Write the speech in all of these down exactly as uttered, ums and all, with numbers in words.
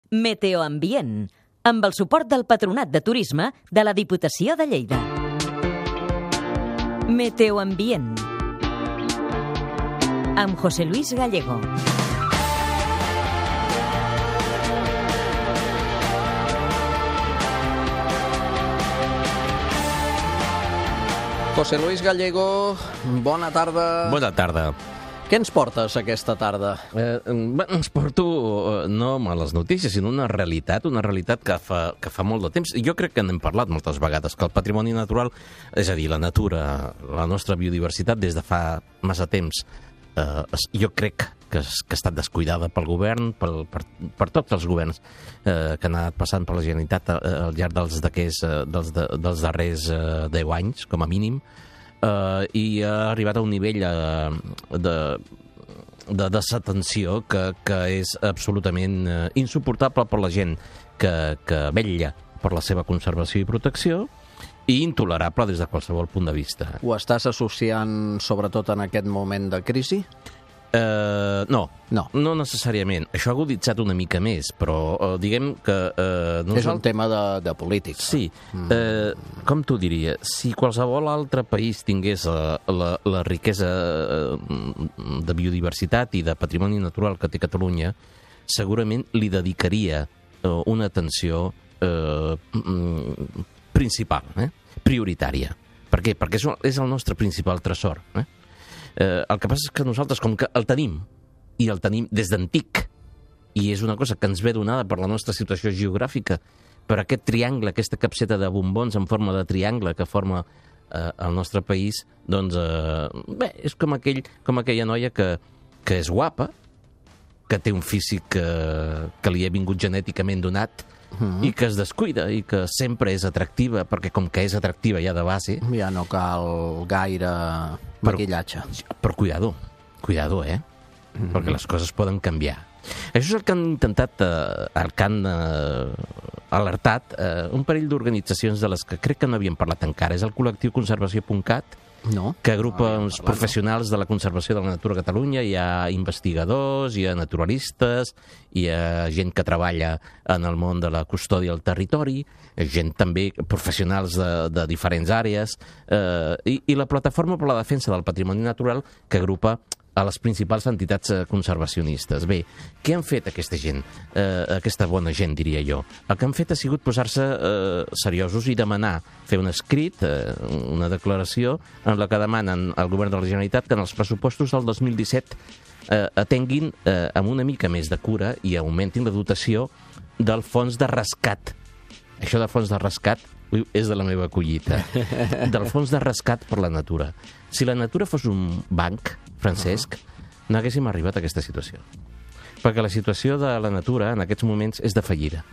Meteoambient, amb el suport del Patronat de Turisme de la Diputació de Lleida. Meteoambient, amb José Luis Gallego. José Luis Gallego, bona tarda. Bona tarda. Què ens portes aquesta tarda? Eh, ens porto eh, no males notícies, sinó una realitat, una realitat que fa, que fa molt de temps. Jo crec que n'hem parlat moltes vegades, que el patrimoni natural, és a dir, la natura, la nostra biodiversitat, des de fa massa temps, eh, jo crec que, que ha estat descuidada pel govern, pel, per, per tots els governs eh, que han anat passant per la Generalitat eh, al llarg dels, eh, dels, de, dels darrers eh, deu anys, com a mínim. Uh, i ha arribat a un nivell uh, de, de desatenció que, que és absolutament uh, insuportable per la gent que, que vetlla per la seva conservació i protecció, i intolerable des de qualsevol punt de vista. Ho estàs associant sobretot en aquest moment de crisi? Uh, no, no, no necessàriament. Això ha aguditzat una mica més, però uh, diguem que... Uh, no és un tema de, de política. Sí. Mm. Uh, com t'ho diria? Si qualsevol altre país tingués la, la, la riquesa de biodiversitat i de patrimoni natural que té Catalunya, segurament li dedicaria uh, una atenció uh, principal, eh? prioritària. Per què? Perquè és, és el nostre principal tresor, eh? Eh, el que passa és que nosaltres, com que el tenim, i el tenim des d'antic, i és una cosa que ens ve donada per la nostra situació geogràfica, per aquest triangle, aquesta capseta de bombons en forma de triangle que forma eh, el nostre país, doncs, eh, bé, és com, aquell, com aquella noia que, que és guapa, que té un físic eh, que li ha vingut genèticament donat, mm-hmm. i que es descuida, i que sempre és atractiva, perquè com que és atractiva ja de base... Ja no cal gaire maquillatge. Però, però cuidado, cuidado, eh? Mm-hmm. Perquè les coses poden canviar. Això és el que han intentat, eh, el que han eh, alertat eh, un parell d'organitzacions de les que crec que no havien parlat encara. És el col·lectiu Conservació punt cat, no. que agrupa no, uns professionals de la conservació de la natura a Catalunya. Hi ha investigadors, hi ha naturalistes, hi ha gent que treballa en el món de la custòdia del territori, gent també, professionals de, de diferents àrees, eh, i, i la Plataforma per la Defensa del Patrimoni Natural, que agrupa a les principals entitats conservacionistes. Bé, què han fet aquesta gent? Eh, aquesta bona gent, diria jo. El que han fet ha sigut posar-se eh, seriosos i demanar, fer un escrit, eh, una declaració, en la que demanen al govern de la Generalitat que en els pressupostos del dos mil disset eh, atenguin eh, amb una mica més de cura i augmentin la dotació del fons de rescat. Això del fons de rescat és de la meva collita. Del fons de rescat per la natura. Si la natura fos un banc, Francesc, uh-huh. no haguéssim arribat a aquesta situació. Perquè la situació de la natura en aquests moments és de fallida.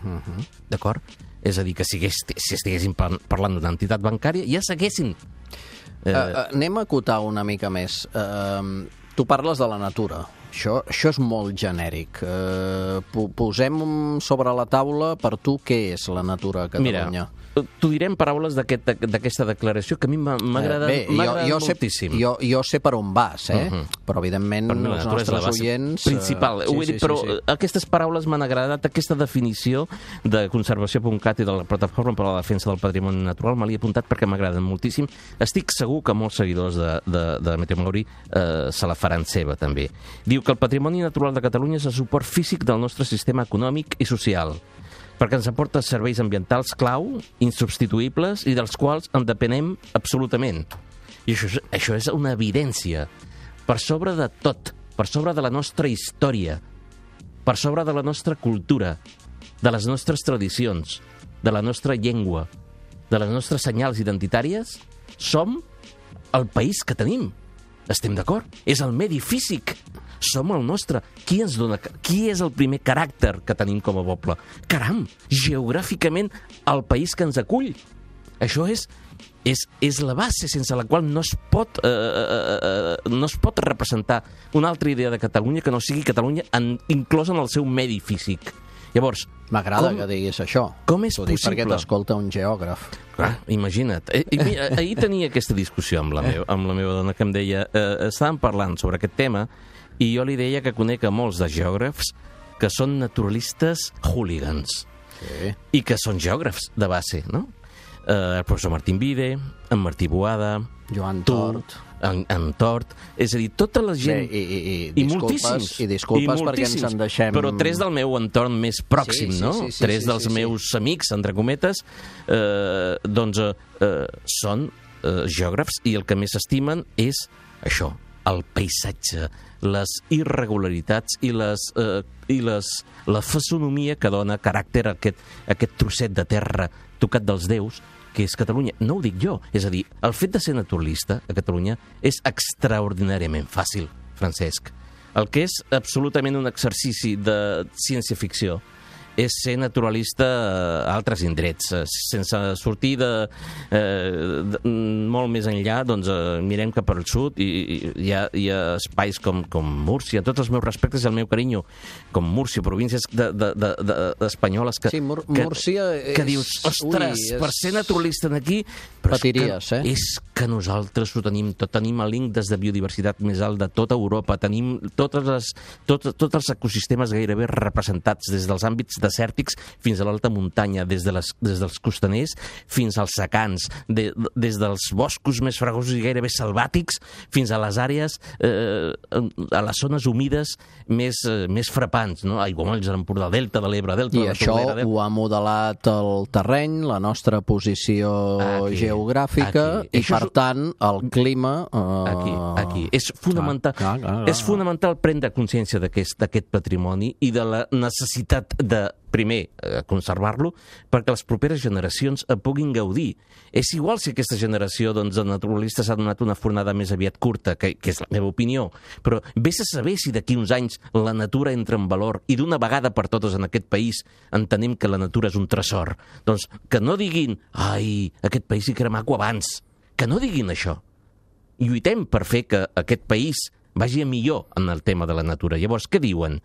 Uh-huh. D'acord? És a dir, que si, hagués, si estiguéssim parlant d'una entitat bancària, ja s'haguessin... Eh... Uh, uh, anem a acotar una mica més. Uh, tu parles de la natura. Això, això és molt genèric. Uh, posem sobre la taula per tu què és la natura a Catalunya. Mira, t'ho diré en paraules d'aquesta aquest, declaració que a mi m'agrada eh, moltíssim. Jo, jo sé per on vas, eh? Uh-huh. Però evidentment per els nostres oients... Principal. Uh, sí, sí, sí, però sí, sí. aquestes paraules m'han agradat, aquesta definició de Conservació punt cat i de la Plataforma per a la Defensa del Patrimoni Natural me l'he apuntat perquè m'agraden moltíssim. Estic segur que molts seguidors de, de, de Meteoambient eh, se la faran seva, també. Diu que el patrimoni natural de Catalunya és el suport físic del nostre sistema econòmic i social, perquè ens aporta serveis ambientals clau, insubstituïbles, i dels quals en depenem absolutament. I això, això és una evidència. Per sobre de tot, per sobre de la nostra història, per sobre de la nostra cultura, de les nostres tradicions, de la nostra llengua, de les nostres senyals identitàries, som el país que tenim. Estem d'acord? És el medi físic. Som el nostre. Qui ens dona, qui és el primer caràcter que tenim com a poble? Caram, geogràficament, el país que ens acull. Això és, és, és la base sense la qual no es pot, eh, eh, no es pot representar una altra idea de Catalunya que no sigui Catalunya en, inclosa en el seu medi físic. Llavors, m'agrada que diguis això. Com és possible? Perquè t'escolta un geògraf. Clar, imagina't. I, i, ahir tenia aquesta discussió amb la, meva, amb la meva dona que em deia, eh, estàvem parlant sobre aquest tema i jo li deia que conec a molts de geògrafs que són naturalistes hooligans Sí. i que són geògrafs de base, no? Eh, el professor Martín Vide, en Martí Boada, Joan tu, Tort. en, en Tort, és a dir, tota la gent... Bé, i, i, i, I disculpes, moltíssims. I disculpes I perquè moltíssims, ens en deixem... Però tres del meu entorn més pròxim, Sí, sí, no? sí, sí, tres sí, dels sí, sí. meus amics, entre cometes, eh, doncs eh, eh, són eh, geògrafs i el que més estimen és això, el paisatge, les irregularitats i, les, eh, i les, la fisonomia que dona caràcter a aquest, a aquest trosset de terra tocat dels déus, que és Catalunya. No ho dic jo, és a dir, el fet de ser naturalista a Catalunya és extraordinàriament fàcil, Francesc. El que és absolutament un exercici de ciència-ficció és ser naturalista a altres indrets. Sense sortir de, eh, de molt més enllà, doncs eh, mirem cap al sud i, i hi, ha, hi ha espais com, com Múrcia, tots els meus respectes i el meu carinyo, com Múrcia, províncies de, de, de, de, espanyoles que, Sí, Múr que, Múrcia és... que dius, ostres, Ui, és... per ser naturalista aquí... Però Patiries, és que, eh? És que nosaltres ho tenim tot. Tenim l'índex de biodiversitat més alt de tota Europa. Tenim totes les, tot, tots els ecosistemes gairebé representats, des dels àmbits desèrtics fins a l'alta muntanya, des, de les, des dels costaners fins als secans, de, des dels boscos més fregosos i gairebé selvàtics fins a les àrees, eh, a les zones humides més, eh, més frapants, no? Aiguamolls, l'Empordà, Delta de l'Ebre, Delta I de la això Tordera... ho ha modelat el terreny, la nostra posició Aquí, geogràfica aquí. i, per Això és... tant, el clima... Eh... Aquí, aquí. És fonamental, clar, clar, clar. és fonamental prendre consciència d'aquest d'aquest patrimoni i de la necessitat de, primer, eh, conservar-lo perquè les properes generacions en puguin gaudir. És igual si aquesta generació doncs, de naturalistes ha donat una fornada més aviat curta, que, que és la meva opinió, però vés a saber si d'aquí uns anys la natura entra en valor i d'una vegada per totes en aquest país entenem que la natura és un tresor. Doncs que no diguin, ai, aquest país hi que era maco abans. Que no diguin això. Lluitem per fer que aquest país vagi a millor en el tema de la natura. Llavors, què diuen?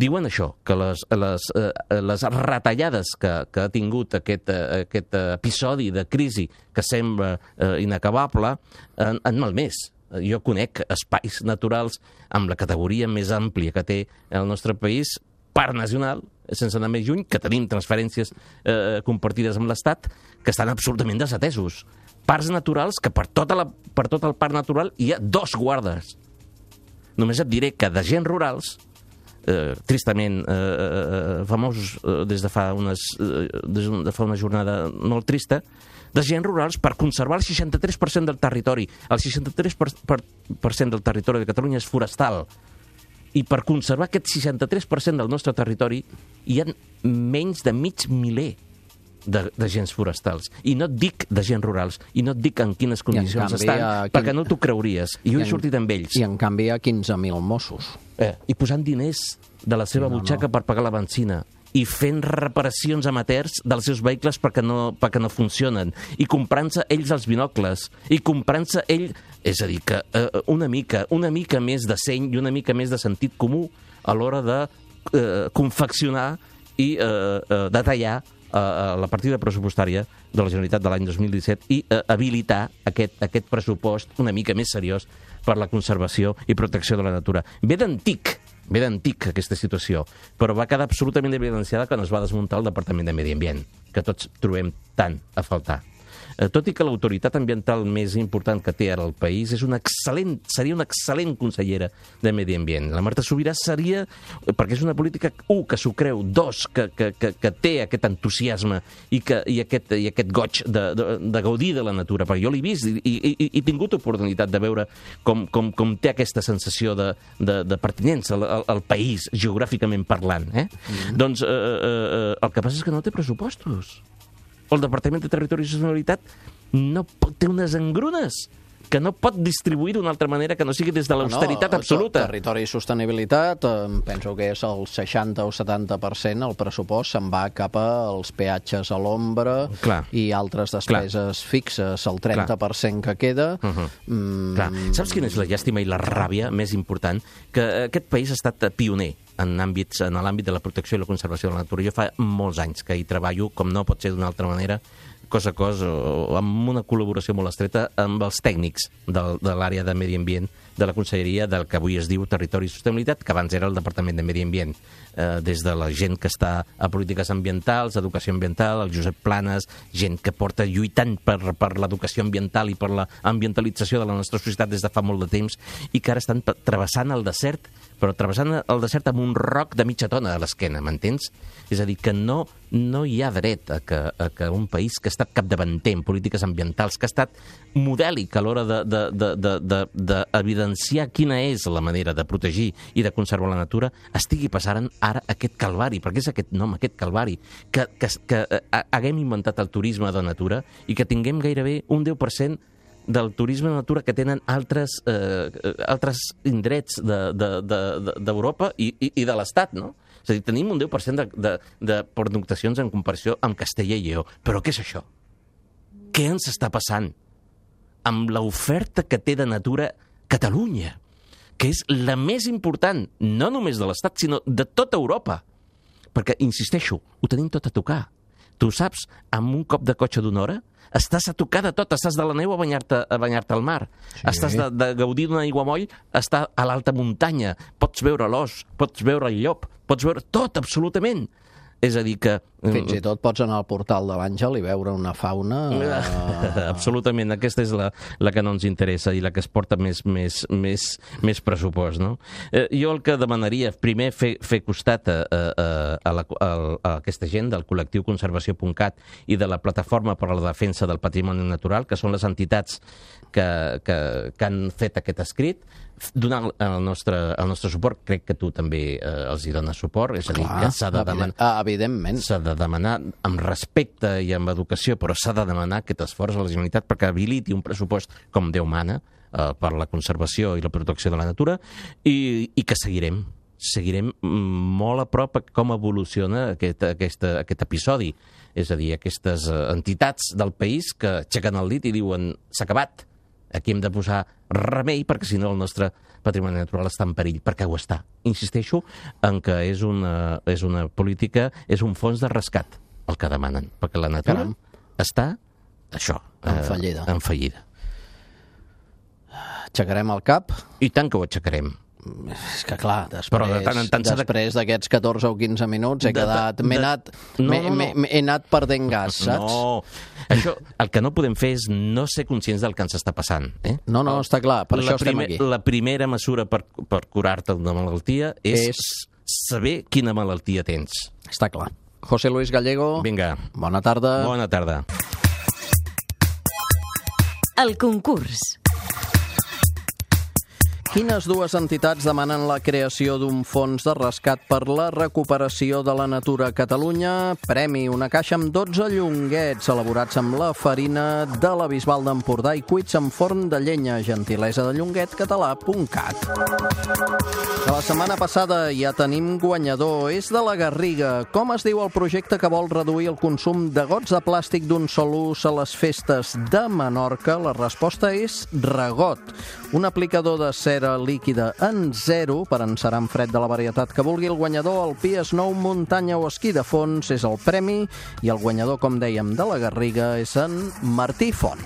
Diuen això, que les, les, eh, les retallades que, que ha tingut aquest, eh, aquest episodi de crisi que sembla eh, inacabable han, han malmès. Jo conec espais naturals amb la categoria més àmplia que té el nostre país, parc nacional, sense anar més lluny, que tenim transferències eh, compartides amb l'Estat, que estan absolutament desatesos. Parcs naturals que per, tota la, per tot el parc natural hi ha dos guardes. Només et diré que d'agents rurals, eh, tristament eh, famosos eh, des de fa, unes, eh, des de fa una jornada molt trista, d'agents rurals per conservar el seixanta-tres per cent del territori. El seixanta-tres per cent del territori de Catalunya és forestal. I per conservar aquest seixanta-tres per cent del nostre territori hi ha menys de mig miler d'agents forestals. I no et dic d'agents rurals, i no et dic en quines condicions canvi, estan, quin... perquè no t'ho creuries. I jo he sortit amb ells. I en canvi hi ha quinze mil Mossos. Eh, I posant diners de la seva Sí, no, butxaca no. per pagar la benzina i fent reparacions amateurs dels seus vehicles perquè no, perquè no funcionen, i comprant-se ells els binocles, i comprant-se ell... És a dir, que eh, una mica una mica més de seny i una mica més de sentit comú a l'hora de eh, confeccionar i eh, eh, detallar a la partida pressupostària de la Generalitat de l'any dos mil disset i eh, habilitar aquest, aquest pressupost una mica més seriós per la conservació i protecció de la natura. Ve d'antic, ve d'antic aquesta situació, però va quedar absolutament evidenciada quan es va desmuntar el Departament de Medi Ambient, que tots trobem tant a faltar. Eh, tot i que l'autoritat ambiental més important que té ara el país és una excel·lent, seria una excel·lent consellera de Medi Ambient. La Marta Subirà seria, perquè és una política, un, que s'ho creu, dos, que, que, que, que té aquest entusiasme i, que, i, aquest, i aquest goig de, de, de gaudir de la natura, perquè jo l'he vist i, i, i he tingut oportunitat de veure com, com, com té aquesta sensació de, de, de pertinença al, al, al país, geogràficament parlant. Eh? Mm-hmm. Doncs eh, eh, el que passa és que no té pressupostos. El Departament de Territori i Sostenibilitat no pot, té unes engrunes que no pot distribuir d'una altra manera que no sigui des de l'austeritat no, absoluta. Territori i Sostenibilitat, eh, penso que és el seixanta o setanta per cent, el pressupost se'n va cap als peatges a l'ombra i altres despeses Clar. fixes. El trenta per cent Clar. que queda... Uh -huh. mm... Clar. Saps quina és la llàstima i la ràbia més important? Que aquest país ha estat pioner en àmbits, en l'àmbit de la protecció i la conservació de la natura. Jo fa molts anys que hi treballo, com no pot ser d'una altra manera, cos a cos o amb una col·laboració molt estreta amb els tècnics de, de l'àrea de Medi Ambient de la Conselleria del que avui es diu Territori i Sostenibilitat, que abans era el Departament de Medi Ambient. Eh, des de la gent que està a polítiques ambientals, educació ambiental, el Josep Planes, gent que porta lluitant per, per l'educació ambiental i per l'ambientalització de la nostra societat des de fa molt de temps i que ara estan travessant el desert, però travessant el desert amb un roc de mitja tona a l'esquena, m'entens? És a dir, que no, no hi ha dret a que, a que un país que ha estat capdavanter en polítiques ambientals, que ha estat modèlic a l'hora d'evidenciar quina és la manera de protegir i de conservar la natura, estigui passant ara aquest calvari, perquè és aquest nom, aquest calvari, que, que, que haguem inventat el turisme de natura i que tinguem gairebé un deu per cent del turisme de natura que tenen altres, eh, altres indrets d'Europa de, de, de, i, i, i de l'Estat, no? És a dir, tenim un deu per cent de, de, de pernoctacions en comparació amb Castella i Lleó. Però què és això? Què ens està passant amb l'oferta que té de natura Catalunya, que és la més important, no només de l'Estat, sinó de tota Europa? Perquè, insisteixo, ho tenim tot a tocar. Tu saps, amb un cop de cotxe d'una hora, estàs a tocar de tot, estàs de la neu a banyar-te a banyar-te al mar, sí. Estàs de, de gaudir d'un aiguamoll, està a l'alta muntanya, pots veure l'os, pots veure el llop, pots veure tot, absolutament. És a dir que... Fins i tot pots anar al portal de l'Àngel i veure una fauna... Uh... Absolutament, aquesta és la, la que no ens interessa i la que es porta més, més, més, més pressupost, no? Eh, jo el que demanaria, primer, fer, fer costat a, a, a, la, a, a aquesta gent del col·lectiu conservació punt cat i de la Plataforma per a la Defensa del Patrimoni Natural, que són les entitats que, que, que han fet aquest escrit, donar el nostre, el nostre suport. Crec que tu també eh, els hi dones suport, és a dir, Clar, que s'ha de demanar... Evidentment. S'ha de demanar amb respecte i amb educació, però s'ha de demanar aquest esforç a la Generalitat perquè habiliti un pressupost com Déu mana eh, per la conservació i la protecció de la natura i, i que seguirem. Seguirem molt a prop a com evoluciona aquest, aquest, aquest episodi. És a dir, aquestes entitats del país que aixequen el dit i diuen s'ha acabat. Aquí hem de posar remei perquè si no el nostre patrimoni natural està en perill, perquè ho està. Insisteixo en que és una, és una política, és un fons de rescat el que demanen, perquè la natura Caram. està, això, en fallida. Eh, en fallida. Aixecarem el cap? I tant que ho aixecarem. És que clar, després, Però de tant en tant després d'aquests catorze o quinze minuts he de, quedat... M'he anat, no, no, no. he anat perdent gas, saps? No, això, el que no podem fer és no ser conscients del que ens està passant. Eh? No, no, està clar, per la això estem primer, aquí. La primera mesura per, per curar-te d'una malaltia és, és saber quina malaltia tens. Està clar. José Luis Gallego, Vinga. Bona tarda. Bona tarda. El concurs. Quines dues entitats demanen la creació d'un fons de rescat per la recuperació de la natura a Catalunya? Premi, una caixa amb dotze llonguets elaborats amb la farina de la Bisbal d'Empordà i cuits en forn de llenya, gentilesa de llonguet català punt cat. De la setmana passada ja tenim guanyador, és de la Garriga. Com es diu el projecte que vol reduir el consum de gots de plàstic d'un sol ús a les festes de Menorca? La resposta és Regot, un aplicador de cera líquida en zero per encerar en fred de la varietat que vulgui. El guanyador, el Pi Snow muntanya o esquí de fons, és el premi, i el guanyador, com dèiem, de la Garriga és en Martí Font.